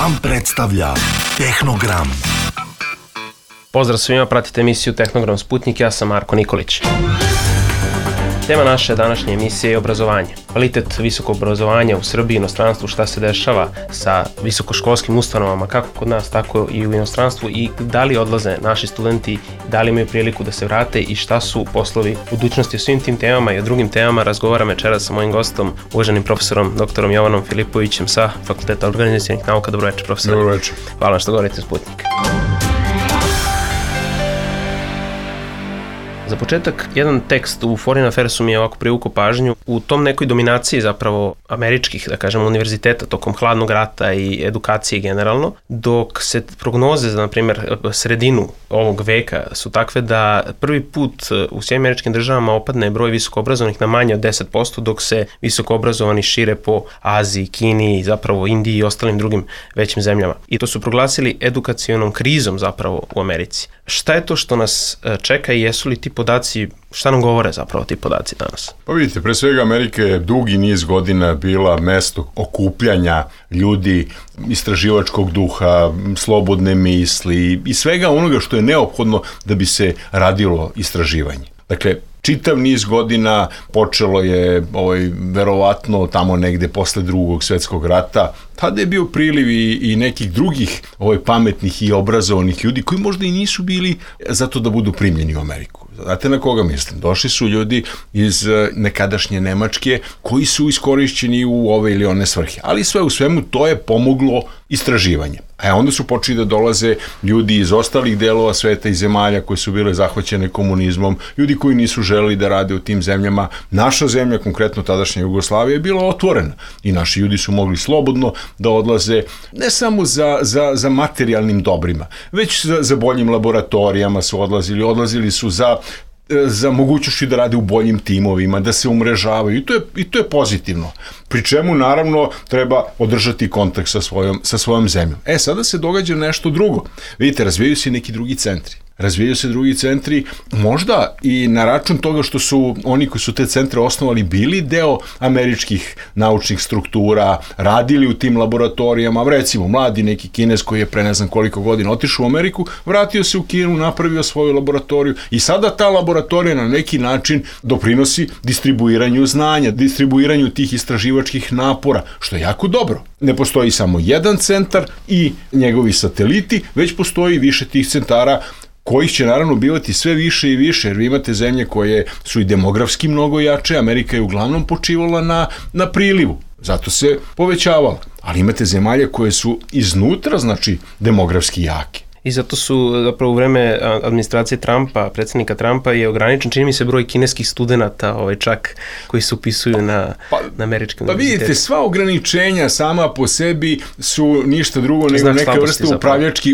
Vam predstavlja Tehnogram. Pozdrav svima, pratite emisiju Tehnogram Sputnik, ja sam Marko Nikolić. Tema naše današnje emisije je obrazovanje. Kvalitet visokog obrazovanja u Srbiji i inostranstvu, šta se dešava sa visokoškolskim ustanovama, kako kod nas, tako i u inostranstvu, i da li odlaze naši studenti, da li imaju priliku da se vrate i šta su poslovi budućnosti. O svim tim temama i o drugim temama razgovaram večeras sa mojim gostom, uvaženim profesorom dr. Jovanom Filipovićem sa Fakulteta organizacionih nauka. Dobro večer, profesor. Dobro večer. Hvala vam što govorite Sputnik. Za početak, jedan tekst u Foreign Affairsu mi je ovako privukao pažnju. U tom nekoj dominaciji zapravo američkih, da kažemo, univerziteta tokom hladnog rata i edukacije generalno, dok se prognoze za, na primjer, sredinu ovog veka su takve da prvi put u svim američkim državama opadne broj visokoobrazovanih na manje od 10%, dok se visokoobrazovani šire po Aziji, Kini, zapravo Indiji i ostalim drugim većim zemljama. I to su proglasili edukacionom krizom zapravo u Americi. Šta je to što nas čeka i jesu li ti podaci, šta nam govore zapravo ti podaci danas? Pa vidite, pre svega Amerika je dugi niz godina bila mesto okupljanja ljudi, istraživačkog duha, slobodne misli i svega onoga što je neophodno da bi se radilo istraživanje. Dakle, čitav niz godina počelo je verovatno tamo negde posle Drugog svetskog rata. Tada je bio priliv i nekih drugih pametnih i obrazovanih ljudi koji možda i nisu bili zato da budu primljeni u Ameriku. Znate na koga mislim? Došli su ljudi iz nekadašnje Nemačke koji su iskorišćeni u ove ili one svrhe. Ali sve u svemu to je pomoglo istraživanje. A onda su počeli da dolaze ljudi iz ostalih delova sveta i zemalja koje su bile zahvaćene komunizmom, ljudi koji nisu želeli da rade u tim zemljama. Naša zemlja, konkretno tadašnja Jugoslavija, je bila otvorena i naši ljudi su mogli slobodno da odlaze ne samo za materijalnim dobrima, već za boljim laboratorijama su odlazili su za mogućnošću da rade u boljim timovima, da se umrežavaju i to je pozitivno. Pri čemu, naravno, treba održati kontakt sa svojom zemljom. Sada se događa nešto drugo. Vidite, razvijaju se neki drugi centri. Razvijaju se drugi centri, možda i na račun toga što su oni koji su te centre osnovali bili deo američkih naučnih struktura, radili u tim laboratorijama, recimo mladi neki Kinez koji je pre ne znam koliko godina otišao u Ameriku, vratio se u Kinu, napravio svoju laboratoriju i sada ta laboratorija na neki način doprinosi distribuiranju znanja, distribuiranju tih istraživačkih napora, što je jako dobro. Ne postoji samo jedan centar i njegovi sateliti, već postoji više tih centara kojih će naravno bivati sve više i više, jer vi imate zemlje koje su i demografski mnogo jače, Amerika je uglavnom počivala na prilivu, zato se povećavala, ali imate zemalje koje su iznutra, znači demografski jake. I zato su zapravo u vreme administracije Trumpa, predsjednika Trumpa, je ograničen, čini mi se, broj kineskih studenata čak koji se upisuju na američke univerzitete. Pa vidite, sva ograničenja sama po sebi su ništa drugo nego neka vrsta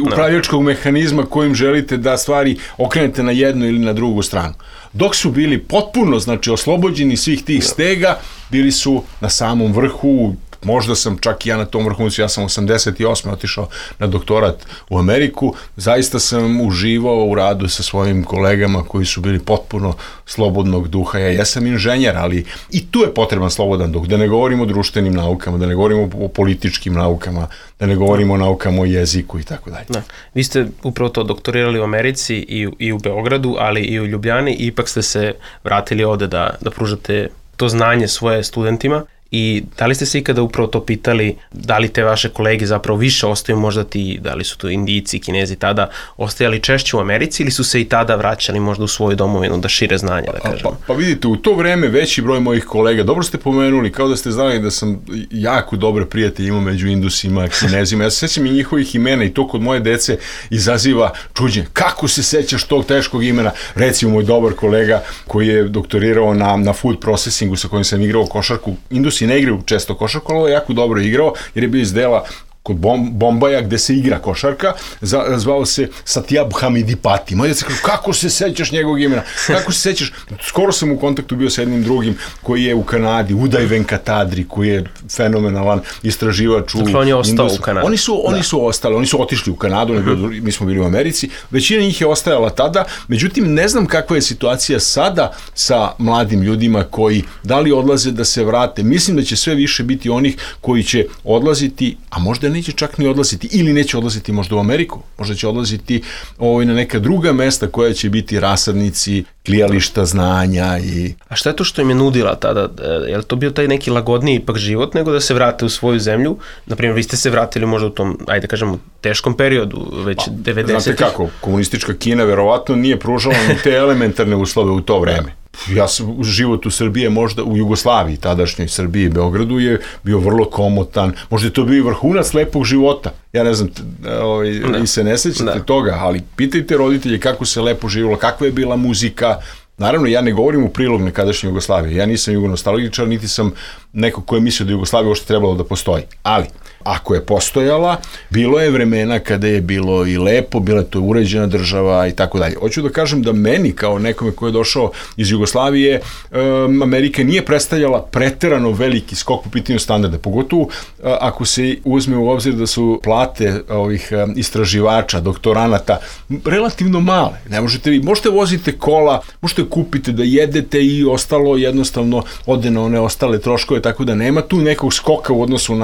upravljačkog mehanizma kojim želite da stvari okrenete na jednu ili na drugu stranu. Dok su bili potpuno, oslobođeni svih tih stega, bili su na samom vrhu. Možda sam čak i ja na tom vrhuncu, ja sam 88. otišao na doktorat u Ameriku, zaista sam uživao u radu sa svojim kolegama koji su bili potpuno slobodnog duha. Ja jesam inženjer, ali i tu je potreban slobodan duh, da ne govorimo o društvenim naukama, da ne govorimo o političkim naukama, da ne govorimo o naukama o jeziku i tako dalje. Vi ste upravo to doktorirali u Americi i u Beogradu, ali i u Ljubljani, i ipak ste se vratili ovde da pružate to znanje svoje studentima. I da li ste se ikada upravo to pitali, da li te vaše kolege zapravo više ostaju, možda ti, da li su to Indijci, Kinezi tada, ostajali češće u Americi ili su se i tada vraćali možda u svoju domovinu da šire znanje, da kažemo? Pa vidite, u to vreme veći broj mojih kolega, dobro ste pomenuli, kao da ste znali da sam jako dobre prijatelje imao među Indusima, Kinezima, ja se sećam i njihovih imena i to kod moje dece izaziva čuđenje. Kako se sećaš tog teškog imena? Recimo, moj dobar kolega koji je doktorirao na food processingu sa kojim sam igrao košarku, Indusi ne igraju često košarku, ali je jako dobro igrao jer je bio iz dela kod Bombaja gde se igra košarka, zvao se Satyab Hamidipati. Moje djeca kažu, kako se sećaš njegovog imena? Kako se sećaš? Skoro sam u kontaktu bio sa jednim drugim koji je u Kanadi, Uday Venkatadri, koji je fenomenalan istraživač u Indusu. On je ostao u Kanadi. Oni su ostali, oni su otišli u Kanadu, mi smo bili u Americi, većina njih je ostajala tada, međutim ne znam kakva je situacija sada sa mladim ljudima koji da li odlaze da se vrate. Mislim da će sve više biti onih koji će odlaziti, a možda neće čak ni odlaziti, ili neće odlaziti možda u Ameriku, možda će odlaziti na neka druga mesta koja će biti rasadnici, klijališta znanja i... A šta je to što im je nudila tada? Je li to bio taj neki lagodniji ipak život nego da se vrate u svoju zemlju? Naprimjer, vi ste se vratili možda u tom, ajde kažemo, teškom periodu, već 90-ih. Znate kako, komunistička Kina verovatno nije pružala ni te elementarne uslove u to vreme. Život u Srbiji, možda u Jugoslaviji, tadašnjoj Srbiji i Beogradu je bio vrlo komotan, možda je to bio i vrhunac lepog života. Ja ne znam, vi se ne sećate toga, ali pitajte roditelje kako se lepo živjelo, kakva je bila muzika. Naravno, ja ne govorim u prilog nekadašnje Jugoslavije, ja nisam jugonostalgičar, niti sam neko ko je mislio da Jugoslavija uopšte trebalo da postoji, ali ako je postojala, bilo je vremena kada je bilo i lepo, bila je to uređena država i tako dalje. Hoću da kažem da meni, kao nekome ko je došao iz Jugoslavije, Amerika nije predstavljala preterano veliki skok po pitanju standarda, pogotovo ako se uzme u obzir da su plate ovih istraživača, doktoranata, relativno male. Ne možete voziti kola, možete kupiti da jedete i ostalo jednostavno ode na one ostale troškove, tako da nema tu nekog skoka u odnosu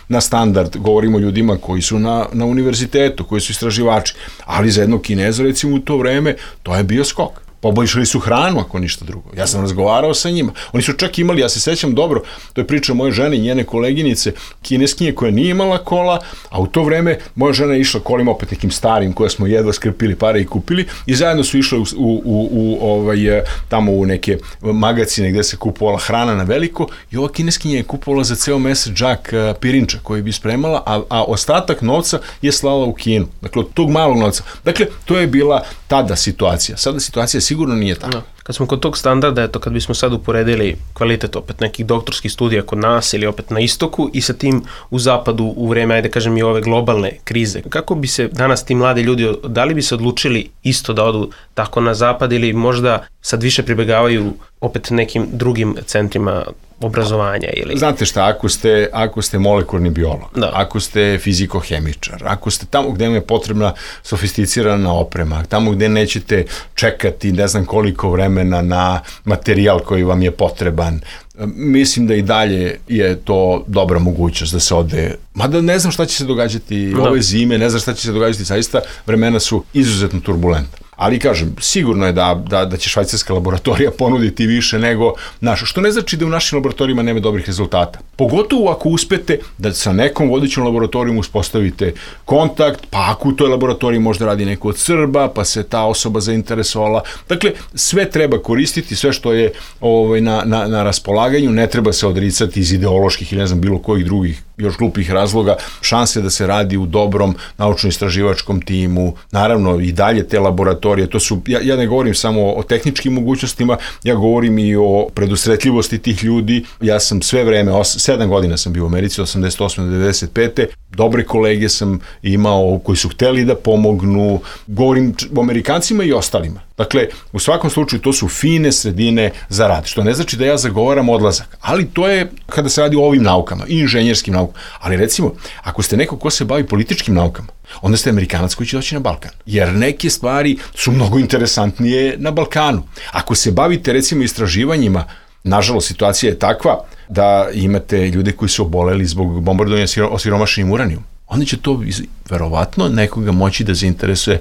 na standard. Govorimo o ljudima koji su na univerzitetu, koji su istraživači, ali za jednog Kineza, recimo u to vreme, to je bio skok. Poboljšali su hranu, ako ništa drugo. Ja sam razgovarao sa njima. Oni su čak imali, ja se sećam dobro, to je priča moje žene i njene koleginice, Kineskinje koja nije imala kola, a u to vreme moja žena je išla kolima opet nekim starim koje smo jedva skrpili pare i kupili i zajedno su išle tamo u neke magacine gde se kupovala hrana na veliko i ova Kineskinja je kupovala za ceo mesec džak pirinča koji bi spremala, a ostatak novca je slala u Kinu. Dakle, od tog malog novca. Dakle, to je bila tada situacija. Sada situacija sigurno nije tako. Kad smo kod tog standarda, eto, kad bismo sad uporedili kvalitet opet nekih doktorskih studija kod nas ili opet na istoku i sa tim u zapadu u vreme, ajde kažem, i ove globalne krize, kako bi se danas ti mladi ljudi, da li bi se odlučili isto da odu tako na zapad ili možda sad više pribegavaju opet nekim drugim centrima obrazovanja ili... Znate šta, ako ste molekularni biolog, ako ste fizikohemičar, ako ste tamo gde vam je potrebna sofisticirana oprema, tamo gde nećete čekati ne znam koliko vremena na materijal koji vam je potreban, mislim da i dalje je to dobra mogućnost da se ode. Mada ne znam šta će se događati ove zime, ne znam šta će se događati, zaista vremena su izuzetno turbulentna. Ali kažem, sigurno je da će švajcarska laboratorija ponuditi više nego naša, što ne znači da u našim laboratorijima nema dobrih rezultata. Pogotovo ako uspete da sa nekom vodećom laboratorijom uspostavite kontakt, pa ako u toj laboratoriji možda radi neko od Srba, pa se ta osoba zainteresovala. Dakle, sve treba koristiti, sve što je na raspolaganju, ne treba se odricati iz ideoloških ili ne znam bilo kojih drugih još glupih razloga, šanse da se radi u dobrom naučno-istraživačkom timu, naravno i dalje te laboratorije, to su, ja ne govorim samo o tehničkim mogućnostima, ja govorim i o predusretljivosti tih ljudi, ja sam sve vreme, 7 godina sam bio u Americi, 88. do 95. Dobre kolege sam imao koji su hteli da pomognu, govorim o Amerikancima i ostalima. Dakle, u svakom slučaju to su fine sredine za rad, što ne znači da ja zagovaram odlazak, ali to je kada se radi o ovim naukama, i inženjerskim naukama. Ali recimo, ako ste neko ko se bavi političkim naukama, onda ste Amerikanac koji će doći na Balkan. Jer neke stvari su mnogo interesantnije na Balkanu. Ako se bavite recimo istraživanjima, nažalost situacija je takva da imate ljude koji su oboleli zbog bombardovanja osiromašenim uranijom. Onda će to verovatno nekoga moći da zainteresuje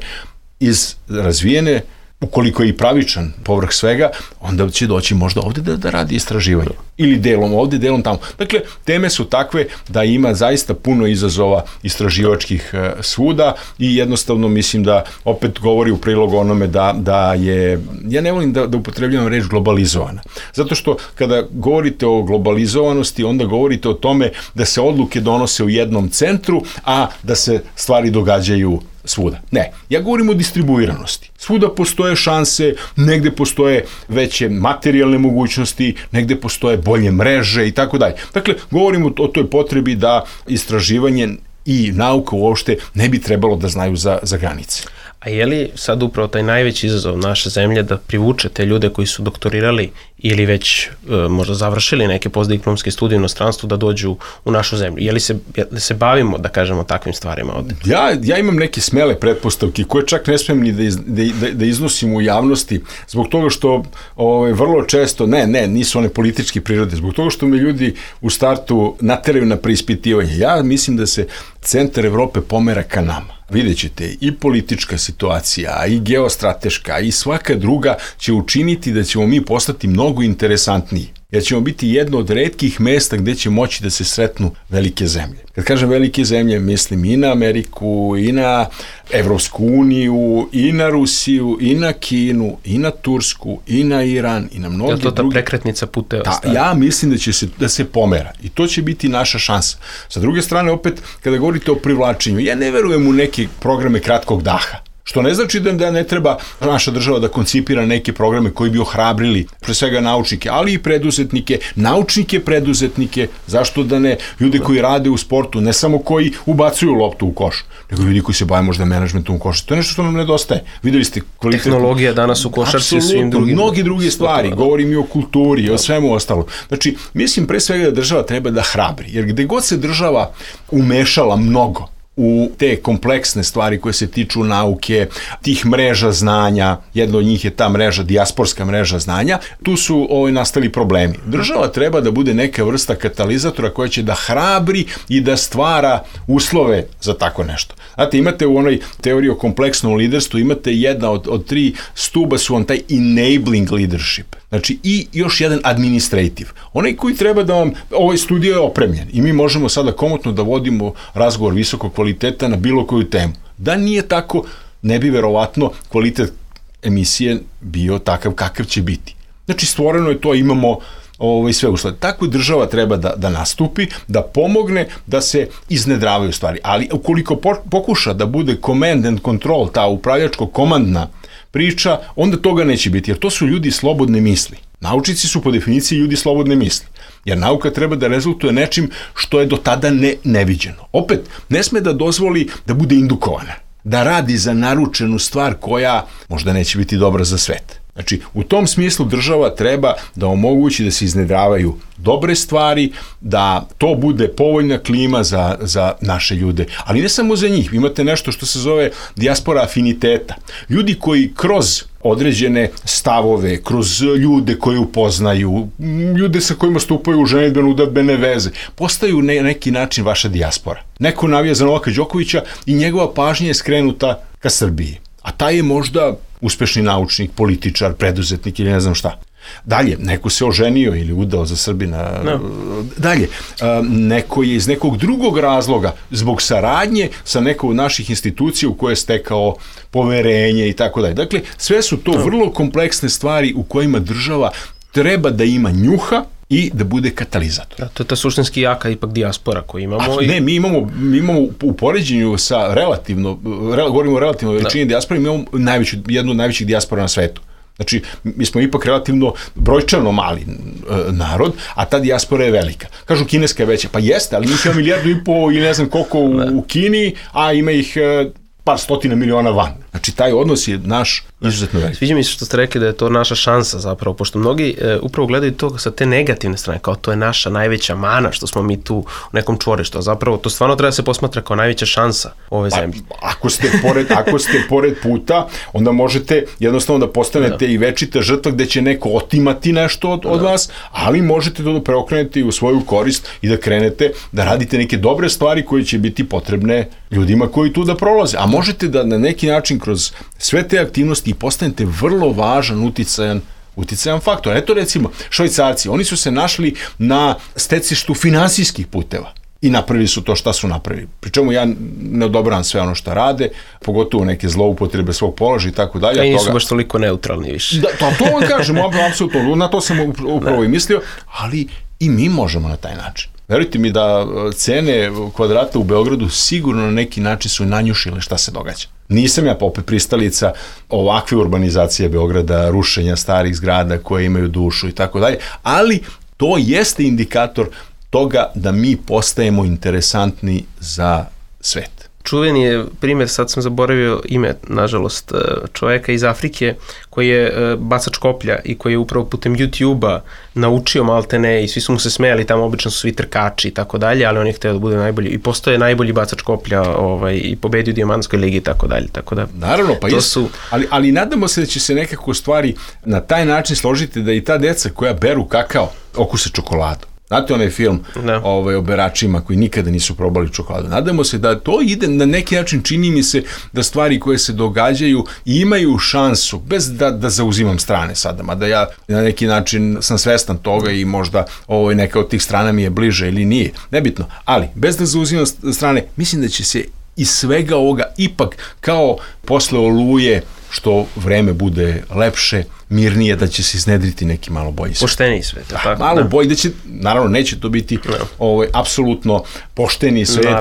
iz razvijene, ukoliko je i pravičan povrh svega, onda će doći možda ovde da radi istraživanje. Ili delom ovde, delom tamo. Dakle, teme su takve da ima zaista puno izazova istraživačkih svuda i jednostavno mislim da opet govori u prilog onome da je, ja ne volim da upotrebljavam reč globalizovana. Zato što kada govorite o globalizovanosti, onda govorite o tome da se odluke donose u jednom centru, a da se stvari događaju svuda. Ne, ja govorim o distribuiranosti. Svuda postoje šanse, negde postoje veće materijalne mogućnosti, negde postoje bolje mreže i tako dalje. Dakle, govorimo o toj potrebi da istraživanje i nauka uopšte ne bi trebalo da znaju za granice. A je li sad upravo taj najveći izazov naše zemlje da privuče te ljude koji su doktorirali ili već možda završili neke postdiplomske studije u inostranstvu da dođu u našu zemlju? Je li se bavimo, da kažemo, takvim stvarima ovde? Ja imam neke smele pretpostavke koje čak ne smijem ni da iznosim u javnosti, zbog toga što vrlo često, nisu one političke prirode, zbog toga što me ljudi u startu nateraju na preispitivanje. Ja mislim da se centar Evrope pomera ka nama. Vidjet ćete, i politička situacija, i geostrateška, i svaka druga će učiniti da ćemo mi postati mnogo interesantniji. Jer ćemo biti jedno od retkih mesta gde će moći da se sretnu velike zemlje. Kad kažem velike zemlje, mislim i na Ameriku, i na Evropsku uniju, i na Rusiju, i na Kinu, i na Tursku, i na Iran, i na mnoge druge. Je to ta prekretnica puteva? Ja mislim da se pomera i to će biti naša šansa. Sa druge strane, opet, kada govorite o privlačenju, ja ne verujem u neke programe kratkog daha. Što ne znači da ne treba naša država da koncipira neke programe koji bi ohrabrili pre svega naučnike, ali i preduzetnike, naučnike preduzetnike, zašto da ne, ljude koji rade u sportu, ne samo koji ubacuju loptu u koš, nego ljudi koji se bave možda menadžmentom u košu. To je nešto što nam nedostaje. Videli ste kvalitet. Tehnologija danas u košarci i svim drugim. Mnogi druge stvari, govorim i o kulturi i o svemu ostalo. Znači, mislim pre svega da država treba da hrabri, jer gde god se država umešala mnogo u te kompleksne stvari koje se tiču nauke, tih mreža znanja, jedna od njih je ta mreža, dijasporska mreža znanja, tu su nastali problemi. Država treba da bude neka vrsta katalizatora koja će da hrabri i da stvara uslove za tako nešto. Znate, imate u onoj teoriji o kompleksnom liderstvu, imate jedna od 3 stuba su on taj enabling leadership. Znači, i još jedan administrative. Onaj koji treba da vam, ovaj studio je opremljen i mi možemo sada komotno da vodimo razgovor visokog kvaliteta na bilo koju temu. Da nije tako, ne bi verovatno kvalitet emisije bio takav kakav će biti. Znači, stvoreno je to, imamo sve uslove. Tako država treba da nastupi, da pomogne, da se iznedravaju stvari. Ali ukoliko pokuša da bude command and control, ta upravljačko-komandna priča, onda toga neće biti, jer to su ljudi slobodne misli. Naučnici su po definiciji ljudi slobodne misli, jer nauka treba da rezultuje nečim što je do tada neviđeno. Opet, ne sme da dozvoli da bude indukovana, da radi za naručenu stvar koja možda neće biti dobra za svet. Znači, u tom smislu država treba da omogući da se iznedravaju dobre stvari, da to bude povoljna klima za naše ljude. Ali ne samo za njih. Imate nešto što se zove dijaspora afiniteta. Ljudi koji kroz određene stavove, kroz ljude koje upoznaju, ljude sa kojima stupaju u ženidbeno udadbene veze, postaju na neki način vaša dijaspora. Neko navija za Novaka Đokovića i njegova pažnja je skrenuta ka Srbiji. A taj je možda uspešni naučnik, političar, preduzetnik ili ne znam šta. Dalje, neko se oženio ili udao za Srbina. No. Dalje, neko je iz nekog drugog razloga, zbog saradnje sa nekom od naših institucija u koje je stekao poverenje i tako dalje. Dakle, sve su to vrlo kompleksne stvari u kojima država treba da ima njuha i da bude katalizator. Da, to je ta suštinski jaka ipak dijaspora koju imamo. Ne, mi imamo u poređenju sa govorimo o relativno veličini dijaspora, mi imamo jednu od najvećih dijaspora na svetu. Znači, mi smo ipak relativno brojčano mali narod, a ta dijaspora je velika. Kažu, kineska je veća. Pa jeste, ali mi imamo 1,5 milijardu ili ne znam koliko u Kini, a ima ih par stotina miliona van. Znači, taj odnos je naš izuzetno velik. Sviđa mi se što ste rekli da je to naša šansa zapravo, pošto mnogi upravo gledaju to sa te negativne strane, kao to je naša najveća mana, što smo mi tu u nekom čvorištu, a zapravo to stvarno treba se posmatra kao najveća šansa ove zemlje. Ako ste pored puta, onda možete jednostavno da postanete i večita žrtva gde će neko otimati nešto od vas, ali možete to da preokrenete u svoju korist i da krenete da radite neke dobre stvari koje će biti potrebne ljudima koji tu da prolaze. A možete da na neki način kroz sve te aktivnosti postanete vrlo važan uticajan faktor. Eto recimo, Švajcarci, oni su se našli na stecištu finansijskih puteva i napravili su to šta su napravili. Pričemu ja ne odobravam sve ono što rade, pogotovo neke zloupotrebe svog položaja i tako dalje. I nisu baš toliko neutralni više. Da, to vam kažem, apsolutno, na to sam upravo i mislio, ali i mi možemo na taj način. Verujte mi da cene kvadrata u Beogradu sigurno na neki način su nanjušile šta se događa. Nisam ja opet pristalica ovakve urbanizacije Beograda, rušenja starih zgrada koje imaju dušu i tako dalje, ali to jeste indikator toga da mi postajemo interesantni za svet. čuveni je primjer, sad sam zaboravio ime, nažalost, čoveka iz Afrike koji je bacač koplja i koji je upravo putem YouTube-a naučio maltene i svi su mu se smejali, tamo obično su svi trkači i tako dalje, ali on je hteo da bude najbolji i postoje najbolji bacač koplja i pobedio u Dijamantskoj ligi i tako dalje. Tako da, naravno, pa ali nadamo se da će se nekako stvari na taj način složiti da i ta deca koja beru kakao okuse čokoladu. Znate onaj film o beračima koji nikada nisu probali čokoladu. Nadamo se da to ide na neki način, čini mi se da stvari koje se događaju imaju šansu, bez da zauzimam strane sada, mada ja na neki način sam svestan toga i možda neka od tih strana mi je bliže ili nije, nebitno, ali bez da zauzimam strane, mislim da će se iz svega ovoga ipak kao posle Oluje, što vreme bude lepše, mirnije, da će se iznedriti neki malo bolji svet. Pošteniji svet. Tako, malo bolji, da će, naravno neće to biti apsolutno pošteni svet,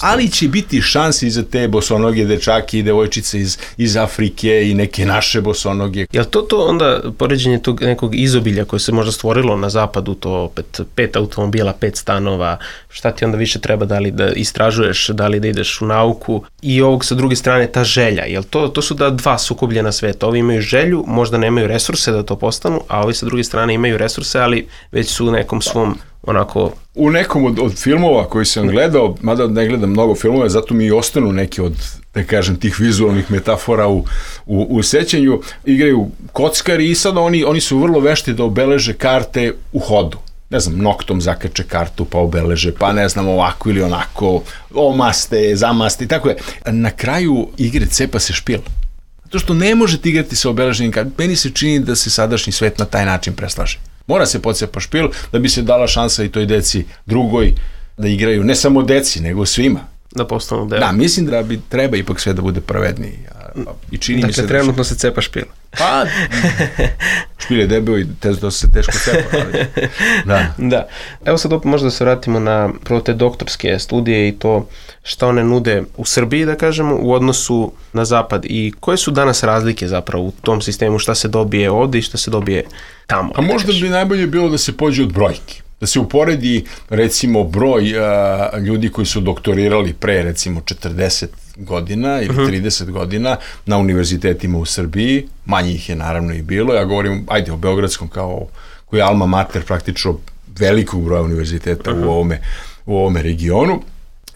ali će biti šanse i za te bosonoge dečake i devojčice iz Afrike i neke naše bosonoge. Jel to onda poređenje tog nekog izobilja koje se možda stvorilo na zapadu, to opet 5 automobila, 5 stanova, šta ti onda više treba, da li da istražuješ, da li da ideš u nauku i ovog sa druge strane ta želja, jel to su da dva sukobljena sveta, ovi imaju želju, možda nemaju resurse da to postanu, a ovi sa druge strane imaju resurse, ali već su u nekom svom onako... U nekom od filmova koji sam gledao, mada ne gledam mnogo filmova, zato mi i ostanu neki od, da kažem, tih vizualnih metafora u sećanju, igraju kockari i sada oni su vrlo vešti da obeleže karte u hodu. Ne znam, noktom zakače kartu pa obeleže, pa ne znam, ovako ili onako, omaste, zamaste i tako je. Na kraju igre cepa se špil. Zato što ne možete igrati sa obeleženim kartom. Meni se čini da se sadašnji svet na taj način preslaže. Mora se pocepa špil da bi se dala šansa i toj deci drugoj da igraju, ne samo deci, nego svima. Da postanu deo. Da, mislim da treba ipak sve da bude pravedniji. I čini mi se dakle, trenutno se cepa špil. Pa, špil je debeo i to se teško cepa. Da. Evo sad opet možda da se vratimo na prvo te doktorske studije i to šta one nude u Srbiji, da kažemo, u odnosu na zapad i koje su danas razlike zapravo u tom sistemu, šta se dobije ovde i šta se dobije tamo. A možda bi najbolje bilo da se pođe od brojki. Da se uporedi, recimo, broj ljudi koji su doktorirali pre, recimo, 40 godina ili 30 godina na univerzitetima u Srbiji, manje ih je naravno i bilo, ja govorim, ajde, o Beogradskom koji je alma mater praktično velikog broja univerziteta u ovome regionu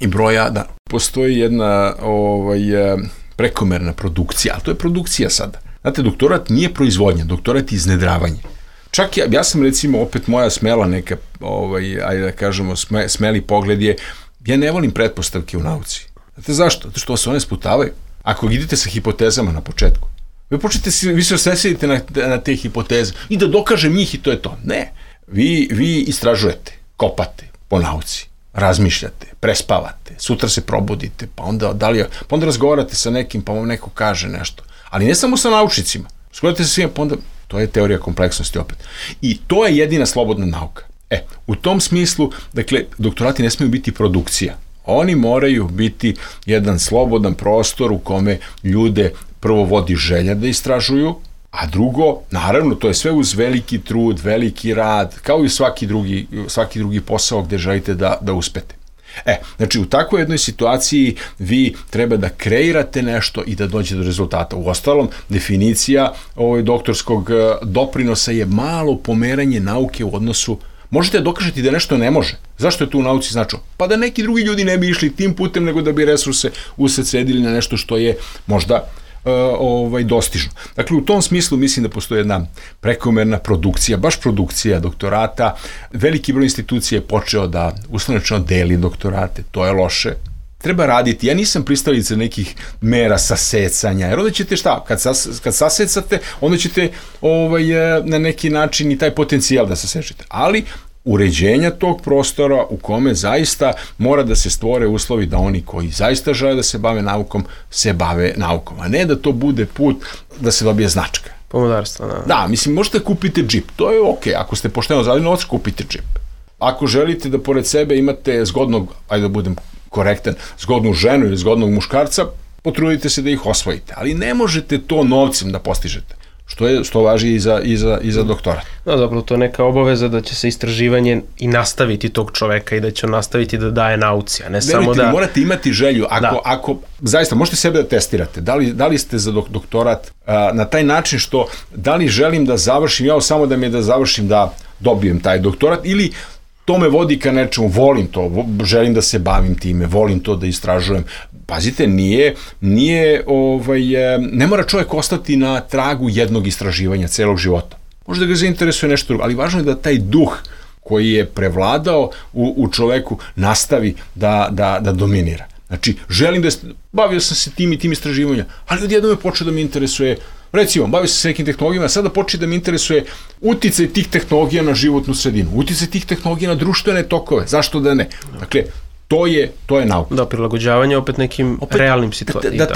i broja, da, postoji jedna prekomerna produkcija, ali to je produkcija sada. Znate, doktorat nije proizvodnja, doktorat je iznedravanje. Čak ja sam, recimo, opet moja smela neka, ajde da kažemo, smeli pogled je, ja ne volim pretpostavke u nauci. Znate zašto? Zato što se one sputavaju. Ako idete sa hipotezama na početku, vi se osvesite na te hipoteze i da dokažem njih i to je to. Ne. Vi istražujete, kopate po nauci, razmišljate, prespavate, sutra se probudite, pa onda razgovarate sa nekim, pa vam neko kaže nešto. Ali ne samo sa naučnicima. Razgovarate sa svima, pa onda to je teorija kompleksnosti opet. I to je jedina slobodna nauka. U tom smislu, dakle, doktorati ne smiju biti produkcija. Oni moraju biti jedan slobodan prostor u kome ljude prvo vodi želja da istražuju, a drugo, naravno, to je sve uz veliki trud, veliki rad, kao i svaki drugi posao gde želite da uspete. Znači, u takvoj jednoj situaciji vi treba da kreirate nešto i da dođete do rezultata. Uostalom, definicija doktorskog doprinosa je malo pomeranje nauke u odnosu. Možete dokažeti da nešto ne može. Zašto je to u nauci značilo? Pa da neki drugi ljudi ne bi išli tim putem, nego da bi resurse usredsredili na nešto što je možda dostižno. Dakle, u tom smislu mislim da postoji jedna prekomerna produkcija, baš produkcija doktorata. Veliki broj institucija je počeo da uslovno deli doktorate, to je loše. Treba raditi. Ja nisam pristalica nekih mera sasecanja, jer onda ćete šta? Kad sasecate, onda ćete na neki način i taj potencijal da sasečete. Ali uređenja tog prostora u kome zaista mora da se stvore uslovi da oni koji zaista žele da se bave naukom, a ne da to bude put da se dobije značka. Pomodarstvo, da. Da, mislim, možete kupiti džip, to je okej, ako ste pošteno zaradili novac, kupite džip. Ako želite da pored sebe imate zgodnog, ajde da budem korektan, zgodnu ženu ili zgodnog muškarca, potrudite se da ih osvojite, ali ne možete to novcem da postižete. što važi i za doktorat. No, zapravo to je neka obaveza da će se istraživanje i nastaviti tog čoveka i da će on nastaviti da daje nauci, a ne samo da... Morate imati želju, ako zaista možete sebe da testirate, da li ste za doktorat na taj način što, da li želim da završim, ja samo da mi je da završim da dobijem taj doktorat, ili to me vodi ka nečemu, volim to, želim da se bavim time, volim to da istražujem. Pazite, ne mora čovjek ostati na tragu jednog istraživanja celog života. Možda ga zainteresuje nešto drugo, ali važno je da taj duh koji je prevladao u čoveku nastavi da dominira. Znači, želim bavio sam se tim i tim istraživanjem, ali odjednom je počeo da me interesuje, recimo, bavio sam se nekim tehnologijama, sada počne da me interesuje uticaj tih tehnologija na životnu sredinu, uticaj tih tehnologija na društvene tokove, zašto da ne? Dakle, to je nauka. Da, prilagođavanje opet nekim realnim situacijama.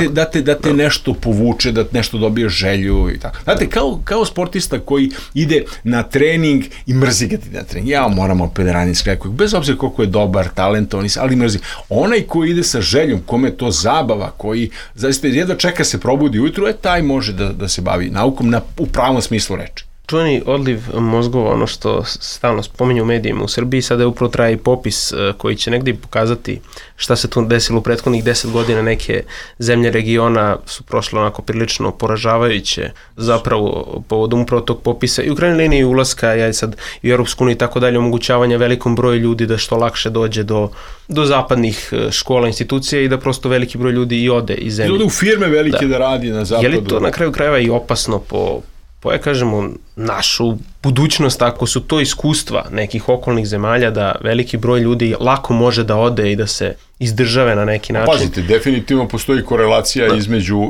Da te nešto povuče, da nešto dobije želju i tako. Znate, kao sportista koji ide na trening i mrzi ga ti na trening. Ja moram opet raniti skrekoj, bez obzira koliko je dobar, talentovan, ali mrzi. Onaj koji ide sa željom, kome je to zabava, koji zaista jedva čeka se probudi ujutru, taj može da se bavi naukom u pravom smislu reči. Čuveni odliv mozgova, ono što stalno spominju u medijima u Srbiji, sada je upravo traje i popis koji će negdje pokazati šta se tu desilo u prethodnih 10 godina. Neke zemlje regiona su prošle onako prilično poražavajuće zapravo povodom upravo tog popisa i u krajnjoj liniji ulaska sad i u Europsku uniju i tako dalje, omogućavanja velikom broju ljudi da što lakše dođe do zapadnih škola, institucija i da prosto veliki broj ljudi i ode iz zemlje. Ode u firme velike da radi na zapadu. Je li to na kraju krajeva i opasno po kažemo, našu budućnost, ako su to iskustva nekih okolnih zemalja, da veliki broj ljudi lako može da ode i da se izdržave na neki način. Pazite, definitivno postoji korelacija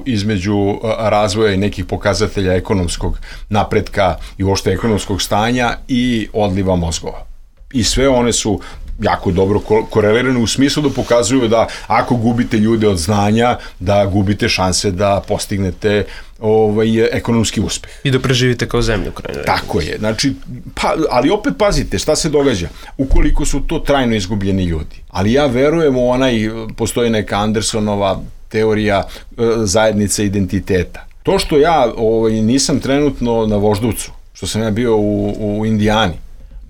između razvoja i nekih pokazatelja ekonomskog napretka i uopšte ekonomskog stanja i odliva mozgova. I sve one su jako dobro korelirane u smislu da pokazuju da ako gubite ljude od znanja, da gubite šanse da postignete ekonomski uspeh. I da preživite kao zemlju. Tako je. Znači, ali opet pazite šta se događa. Ukoliko su to trajno izgubljeni ljudi. Ali ja verujem postoji neka Andersonova teorija zajednice identiteta. To što ja nisam trenutno na Voždovcu, što sam ja bio u Indijani,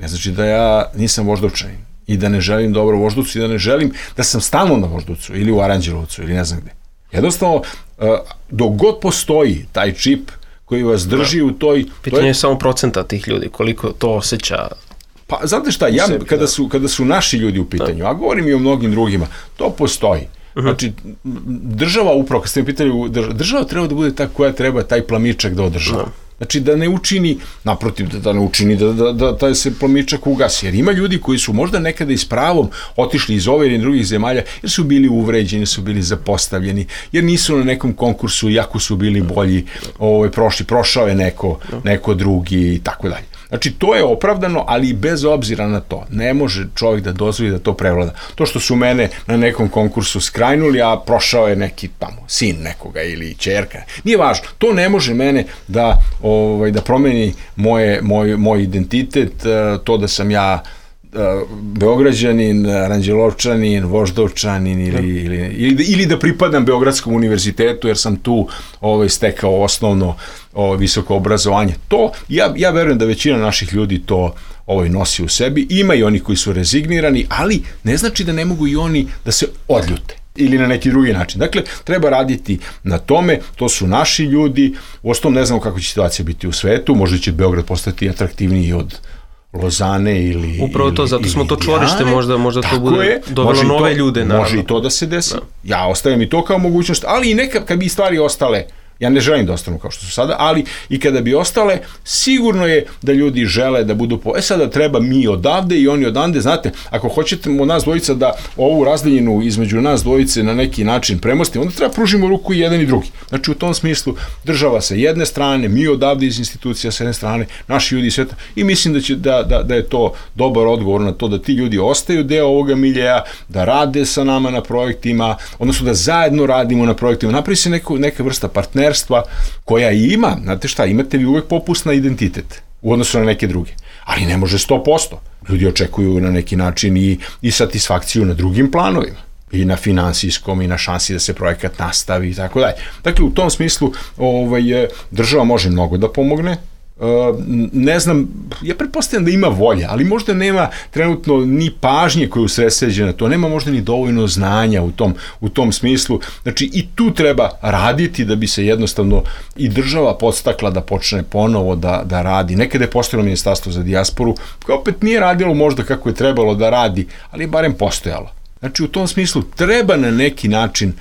ne znači da ja nisam Voždovčanin i da ne želim dobro Voždovcu i da ne želim da sam stalno na Voždovcu ili u Aranđelovcu ili ne znam gde. Jednostavno, dok god postoji taj čip koji vas drži u toj... Pitanje je samo procenta tih ljudi, koliko to osjeća. Pa, znate šta, kada su naši ljudi u pitanju, a govorim i o mnogim drugima, to postoji. Znači, država upravo, kad ste mi pitali, država treba da bude ta koja treba taj plamičak da održava. Znači, da ne učini, naprotiv, da ne učini da taj se plamičak ugasi. Jer ima ljudi koji su možda nekada i s pravom otišli iz ove ili drugih zemalja, jer su bili uvređeni, su bili zapostavljeni, jer nisu na nekom konkursu, jako su bili bolji, prošao je neko drugi i tako dalje. Znači, to je opravdano, ali bez obzira na to, ne može čovjek da dozvoli da to prevlada. To što su mene na nekom konkursu skrajnuli, a prošao je neki tamo sin nekoga ili ćerka, nije važno. To ne može mene da promeni moj identitet, to da sam ja Beograđanin, Aranđelovčanin, Voždovčanin ili da pripadam Beogradskom univerzitetu jer sam tu stekao osnovno visoko obrazovanje. To, ja verujem da većina naših ljudi to nosi u sebi. Ima i oni koji su rezignirani, ali ne znači da ne mogu i oni da se odljute ili na neki drugi način. Dakle, treba raditi na tome, to su naši ljudi, uostalom ne znamo kako će situacija biti u svetu, možda će Beograd postati atraktivniji od Lozane ili... Upravo to, zato smo to čvorište, možda to bude dovelo nove ljude. Može i to da se desi. Ja ostavim i to kao mogućnost, ali i nekad kad bi stvari ostale, ja ne želim da ostanu kao što su sada, ali i kada bi ostale, sigurno je da ljudi žele da budu sada treba mi odavde i oni odande. Znate, ako hoćete nas dvojica da ovu razdaljinu između nas dvojice na neki način premostimo, onda treba pružimo ruku i jedan i drugi. Znači, u tom smislu država sa jedne strane, mi odavde iz institucija sa jedne strane, naši ljudi iz sveta, i mislim da je to dobar odgovor na to da ti ljudi ostaju deo ovoga miljeja, da rade sa nama na projektima, odnosno da zajedno radimo na projektima, napravi se neka vrsta partnerstva koja ima, znate šta, imate vi uvek popust na identitet u odnosu na neke druge, ali ne može 100%. Ljudi očekuju na neki način i satisfakciju na drugim planovima. i na finansijskom i na šansi da se projekat nastavi i tako dalje. Dakle, u tom smislu država može mnogo da pomogne. Ne znam, ja pretpostavljam da ima volja, ali možda nema trenutno ni pažnje koja je usredsređena to, nema možda ni dovoljno znanja u tom smislu. Znači i tu treba raditi da bi se jednostavno i država podstakla da počne ponovo da radi. Nekada je postojalo Ministarstvo za dijasporu, koje opet nije radilo možda kako je trebalo da radi, ali je barem postojalo. Znači u tom smislu treba na neki način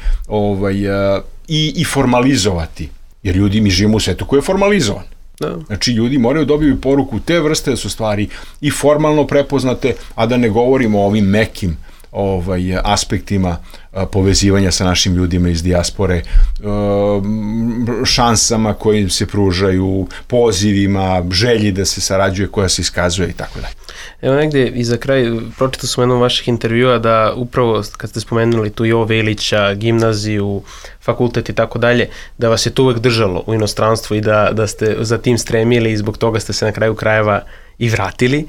i formalizovati, jer ljudi, mi živimo u svetu koji je formalizovan. Da. Znači ljudi moraju dobiti poruku te vrste da su stvari i formalno prepoznate, a da ne govorimo o ovim mekim aspektima povezivanja sa našim ljudima iz dijaspore, šansama koje im se pružaju, pozivima, želji da se sarađuje koja se iskazuje i tako dalje. Evo negde i za kraj, pročitao sam jednom vaših intervjua da upravo kad ste spomenuli tu Jovo Velića, gimnaziju, fakultet i tako dalje, da vas je to uvek držalo u inostranstvu i da ste za tim stremili i zbog toga ste se na kraju krajeva i vratili.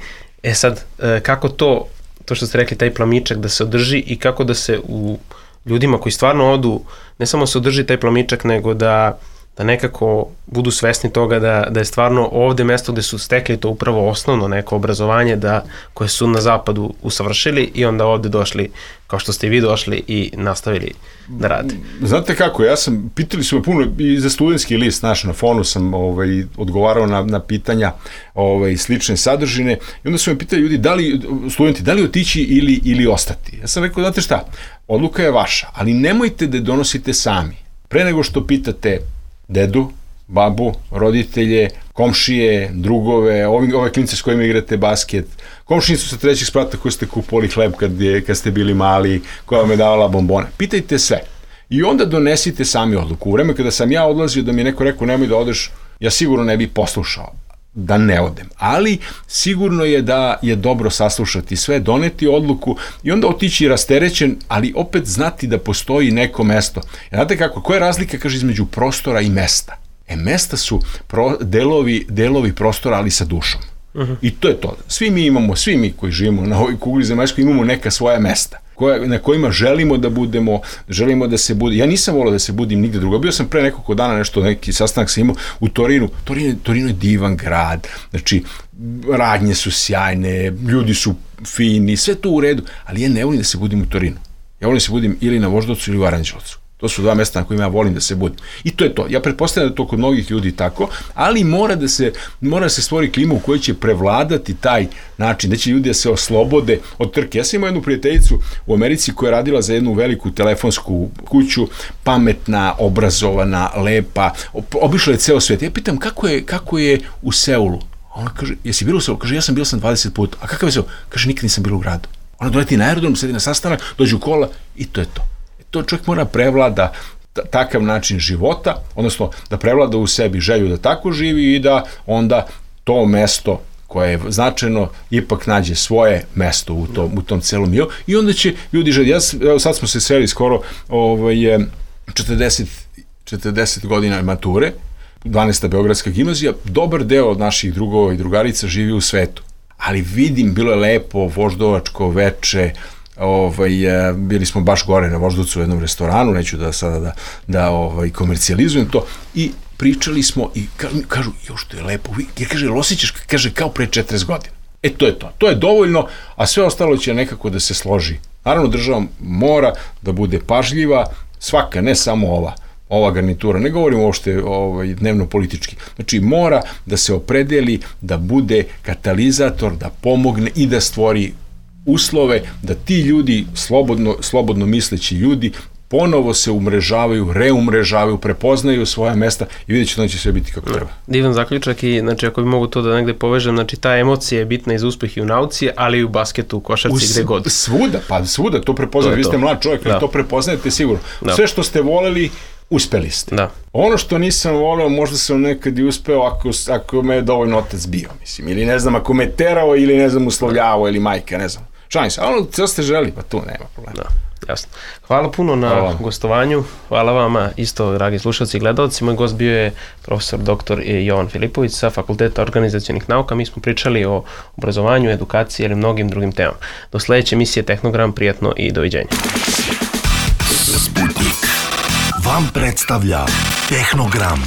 Sad, kako to što ste rekli, taj plamičak da se održi i kako da se u ljudima koji stvarno odu, ne samo se održi taj plamičak, nego da nekako budu svesni toga da je stvarno ovde mesto gde su stekli to upravo osnovno neko obrazovanje koje su na zapadu usavršili i onda ovde došli, kao što ste i vi došli i nastavili da rade. Znate kako, pitali su me puno i za studentski list naš na Fonu sam odgovarao na pitanja slične sadržine i onda su me pitali ljudi, studenti, da li otići ili ostati. Ja sam rekao, znate šta, odluka je vaša, ali nemojte da donosite sami. Pre nego što pitate dedu, babu, roditelje, komšije, drugove, ove klince s kojima igrate basket, komšinicu sa trećeg sprata koju ste kupovali hleb kad ste bili mali, koja vam je davala bombone. Pitajte sve. I onda donesite sami odluku. U vreme kada sam ja odlazio da mi je neko rekao nemoj da odeš, ja sigurno ne bih poslušao da ne odem. Ali sigurno je da je dobro saslušati sve, doneti odluku i onda otići rasterećen, ali opet znati da postoji neko mesto. Znate kako, koja je razlika, kaže, između prostora i mesta? Mesta su delovi prostora, ali sa dušom. I to je to. Svi mi koji živimo na ovoj kugli zemaljskoj imamo neka svoja mesta na kojima želimo da budemo, želimo da se bude. Ja nisam volao da se budim nigde drugo. Bio sam pre nekoliko dana neki sastanak sam imao u Torinu. Torino je divan grad. Znači, radnje su sjajne, ljudi su fini, sve to u redu, ali ja ne volim da se budim u Torinu. Ja volim da se budim ili na Voždovcu ili u Aranđelovcu. To su dva mesta na kojima ja volim da se budim. I to je to. Ja pretpostavljam da je to kod mnogih ljudi tako, ali mora da se stvori klima u kojoj će prevladati taj način, da će ljudi da se oslobode od trke. Ja sam imao jednu prijateljicu u Americi koja je radila za jednu veliku telefonsku kuću, pametna, obrazovana, lepa, obišla je ceo svet. Ja pitam kako je u Seulu? Ona kaže, jesi bila u Seulu? Kaže, ja bio sam 20 puta. A kakav je Seul? Kaže, nikad nisam bila u gradu. Ona doleti na aerodrom, sedi na sastanak, dođe u kola i to je to. To čovjek mora prevlada takav način života, odnosno da prevlada u sebi želju da tako živi i da onda to mesto koje je značajno ipak nađe svoje mesto u tom celom miru i onda će ljudi želiti. Sad smo se sreli skoro 40 godina mature, 12. Beogradska gimnazija, dobar deo od naših drugova i drugarica živi u svetu, ali vidim, bilo je lepo, voždovačko veče, bili smo baš gore na Voždovcu u jednom restoranu, neću da sada da komercijalizujem to, i pričali smo i kažu, jo što je lepo, jer kaže, osjećaš, kaže, kao pre 40 godina. To je to, to je dovoljno, a sve ostalo će nekako da se složi. Naravno, država mora da bude pažljiva, svaka, ne samo ova garnitura, ne govorimo uopšte dnevno politički, znači mora da se opredeli, da bude katalizator, da pomogne i da stvori uslove da ti ljudi, slobodno misleći ljudi, ponovo se umrežavaju, reumrežavaju, prepoznaju svoja mesta i vidjet će da će sve biti kako treba. Divan zaključak i znači ako bi mogu to da negde povežem, znači ta emocija je bitna i za uspeh i u nauci, ali i u basketu, u košarci, gde god. Svuda to prepoznate, vi ste mlad čovjek, ali to prepoznajete sigurno. Sve što ste voleli, uspeli ste. Da. Ono što nisam voleo, možda sam nekad i uspeo ako me je dovoljno otac bio, mislim, ili ne znam, ako me terao ili ne znam, uslovljavao ili majka, ne znam. Šalim se, a ono što ste želi, pa tu nema problema. Da, jasno. Hvala puno na gostovanju, hvala vama isto, dragi slušalci i gledalci. Moj gost bio je profesor dr. Jovan Filipović sa Fakulteta organizacionih nauka. Mi smo pričali o obrazovanju, edukaciji ili mnogim drugim temama. Do sledeće emisije Tehnogram, prijatno i doviđenja. Sputnik vam predstavlja Tehnogram.